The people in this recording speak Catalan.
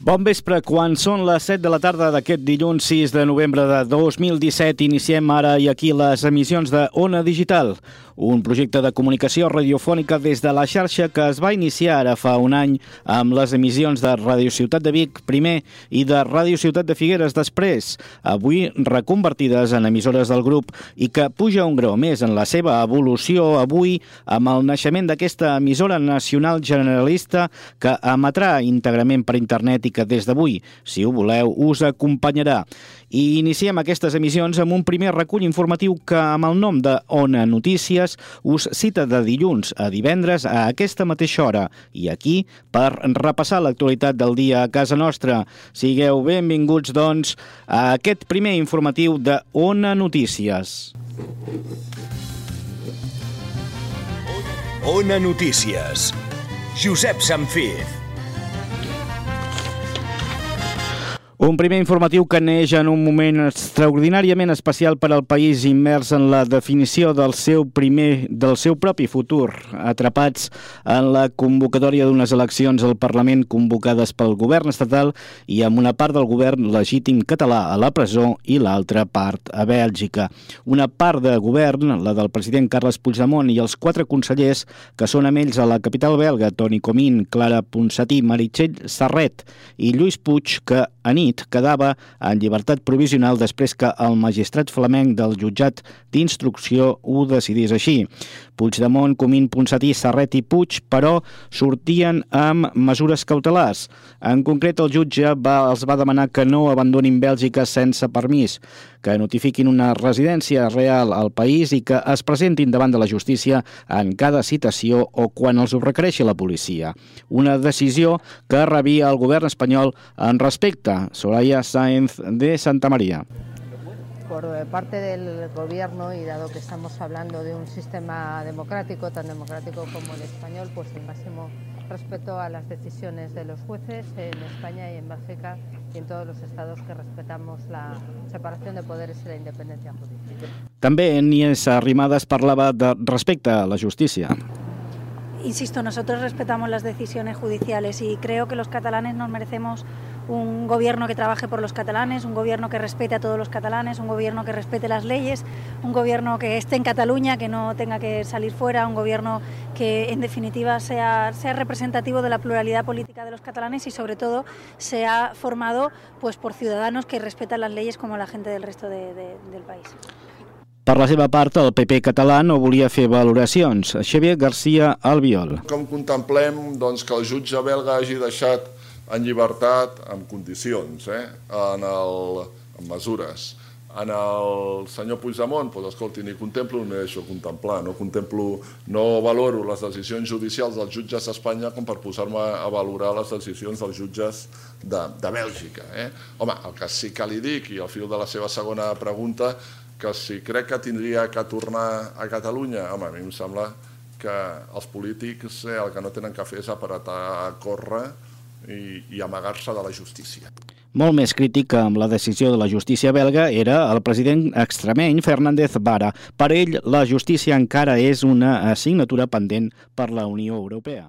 Bon vespre, quan són les 7 de la tarda d'aquest dilluns 6 de novembre de 2017, iniciem ara i aquí les emissions de Ona Digital, un projecte de comunicació radiofònica des de la xarxa que es va iniciar ara fa un any amb les emissions de Ràdio Ciutat de Vic primer i de Ràdio Ciutat de Figueres després, avui reconvertides en emissores del grup i que puja un grau més en la seva evolució avui amb el naixement d'aquesta emissora nacional generalista que emetrà íntegrament per internet i que des d'avui, si ho voleu, us acompanyarà. I iniciem aquestes emissions amb un primer recull informatiu que, amb el nom de Ona Notícies, us cita de dilluns a divendres a aquesta mateixa hora i aquí per repassar l'actualitat del dia a casa nostra. Sigueu benvinguts, doncs, a aquest primer informatiu de Ona Notícies. Ona Notícies. Josep Samfiz. Un primer informatiu que neix en un moment extraordinàriament especial per al país immers en la definició del seu propi futur, atrapats en la convocatòria d'unes eleccions al Parlament convocades pel govern estatal i amb una part del govern legítim català a la presó i l'altra part a Bèlgica. Una part de govern, la del president Carles Puigdemont i els 4 consellers que són amb ells a la capital belga, Toni Comín, Clara Ponsatí, Meritxell Serret i Lluís Puig, que a nit quedava en llibertat provisional després que el magistrat flamenc del jutjat d'instrucció ho decidís així. Puigdemont, Comín, Ponsatí, Serret i Puig, però, sortien amb mesures cautelars. En concret, el jutge els va demanar que no abandonin Bèlgica sense permís, que notifiquin una residència real al país i que es presentin davant de la justícia en cada citació o quan els ho requereixi la policia. Una decisió que rebia el govern espanyol en respecte. Soraya Sáenz de Santa María. Por parte del Gobierno, y dado que estamos hablando de un sistema democrático, tan democrático como el español, pues el máximo respeto a las decisiones de los jueces en España y en Bélgica y en todos los estados que respetamos la separación de poderes y la independencia judicial. També Nies Arrimadas parlava de respecte a la justícia. Insisto, nosotros respetamos las decisiones judiciales y creo que los catalanes nos merecemos un gobierno que trabaje por los catalanes, un gobierno que respete a todos los catalanes, un gobierno que respete las leyes, un gobierno que esté en Cataluña, que no tenga que salir fuera, un gobierno que en definitiva sea representativo de la pluralidad política de los catalanes y sobre todo sea formado pues por ciudadanos que respetan las leyes como la gente del resto del país. Per la seva part, el PP català no volia fer valoracions. Xavier García Albiol. Com contemplem doncs, que el jutge belga hagi deixat en llibertat amb condicions, amb mesures. En el senyor Puigdemont, doncs, escolti, ni contemplo ni deixo contemplar, no valoro les decisions judicials dels jutges d'Espanya com per posar-me a valorar les decisions dels jutges de Bèlgica. Home, el que sí que li dic, i al fil de la seva segona pregunta, que si crec que tindria que tornar a Catalunya, home, a mi em sembla que els polítics el que no tenen que fer és apretar a córrer i amagar-se de la justícia. Molt més crític amb la decisió de la justícia belga era el president extremeny Fernández Vara. Per ell, la justícia encara és una assignatura pendent per la Unió Europea.